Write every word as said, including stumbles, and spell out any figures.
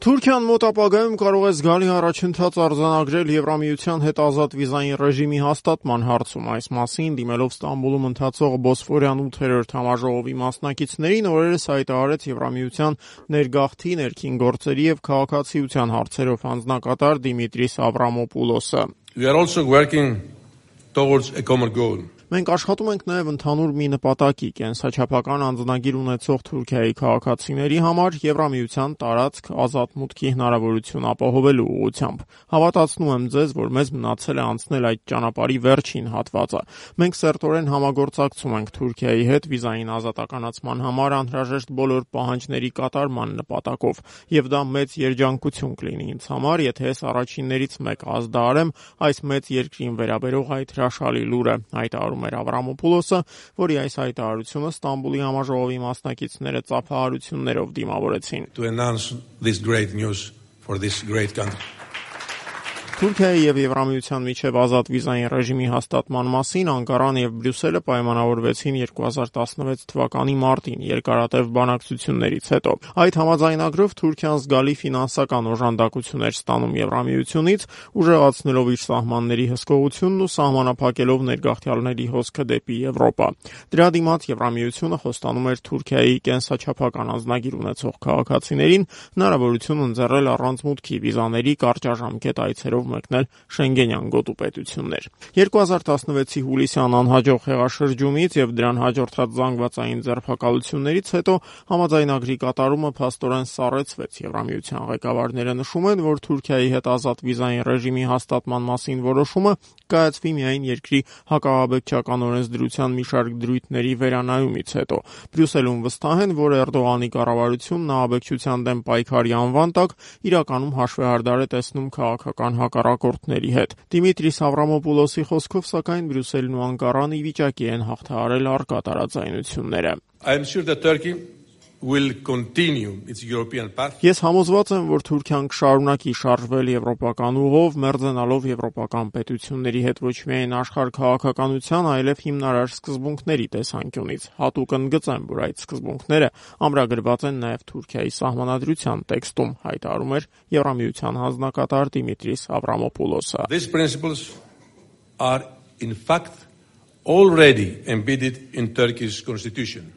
Թուրքիան մոտ ապագայում կարող է զգալի առաջընթաց արձանագրել Եվրամիության հետ ազատ վիզային ռեժիմի հաստատման հարցում։ Այս մասին դիմելով Ստամբուլում ընթացող Բոսֆորյան ութերորդ համաժողովի մասնակիցներին օրերս հայտարարեց Եվրամիության ներգաղթի, ներքին գործերի եւ քաղաքացիության հարցերով հանձնակատար Դիմիտրիս Ավրամոպուլոսը։ We are also working towards a common goal. Մենք աշխատում ենք նաև ընդհանուր մի նպատակի՝ կենսաչափական անձնագիր ունեցող Թուրքիայի քաղաքացիների համար Եվրամիության տարածք ազատ մուտքի հնարավորություն ապահովելու ուղղությամբ։ Հավատացնում եմ ձեզ, որ մեզ մնացել է անցնել այդ ճանապարհի վերջին հատվածը։ Մենք սերտորեն համագործակցում ենք Թուրքիայի հետ վիզային ազատականացման համար անհրաժեշտ բոլոր պահանջների կատարման նպատակով, եւ դա մեծ երջանկություն կլինի ինձ համար, եթե ես առաջիններից մեկ ազդարեմ այս մեծ երկրին վերաբերող այդ հրաշալի լուրը, հայտարարում էր Ավրամոպուլոսը, որի այս հայտարարությունը Ստամբուլի համաժողովի մասնակիցները ծափահարություններով դիմավորեցին։ To announce this great news for this great country. Թուրքիայի եւ Եվրամիության միջև ազատ վիզային ռեժիմի հաստատման մասին Անկարան եւ Բրյուսելը պայմանավորվեցին երկու հազար տասնվեց թվականի մարտին երկարատև բանակցություններից հետո։ Այդ համաձայնագրով Թուրքիան զգալի ֆինանսական օժանդակություն էր ստանում Եվրամիությունից, ուժեղացնելով իր սահմանների հսկողությունն ու սահմանափակելով ներգաղթյալների հոսքը դեպի Եվրոպա։ Դրա դիմաց Եվրամիությունը խոստանում էր Թուրքիայի կենսաչափական անձնագիր ունեցող քաղաքացիներին հնարավորություն ընձեռել առանց մուտքի վիզաների կարճաժամկետ այցերով մեկնել Շենգենյան գոտու պետություններ։ երկու հազար տասնվեցի հուլիսյան անհաջող հեղաշրջումից եւ դրան հաջորդած զանգվածային ձերբակալություններից հետո համաձայնագրի կատարումը փաստորեն սառեցվեց։ Եվրամիության ղեկավարները նշում են, որ Թուրքիայի հետ ազատ վիզային ռեժիմի հաստատման մասին որոշումը կայացվի միայն երկրի հակաահաբեկչական օրենսդրության մի շարք դրույթների վերանայումից հետո։ Բրյուսելում վստահ են, որ Էրդողանի կառավարությունն ահաբեկչության դեմ պայքարի անվան տակ իրականում հաշվեհարդար է տեսնում քաղաքական հակառակորդների հետ։ Դիմիտրիս Ավրամոպուլոսի խոսքով, սակայն Բրյուսելն ու Անկարան ի վիճակի են հաղթահարել առկա տարաձայնությունները։ I am sure that Turkey will continue its European path. Ես համոզված եմ, որ Թուրքիան կշարունակի շարժվել եվրոպական ուղով, մերձենալով եվրոպական պետությունների հետ ոչ միայն աշխարհ քաղաքականության, այլև հիմնարար սկզբունքների տեսանկյունից։ Հատուկ ընդգծեմ, որ այդ սկզբունքները ամրագրված են նաև Թուրքիայի սահմանադրության տեքստում, հայտարարում էր Եվրամիության հանձնակատար Դիմիտրիս Ավրամոպուլոսը։ These principles are in fact already embedded in Turkey's constitution.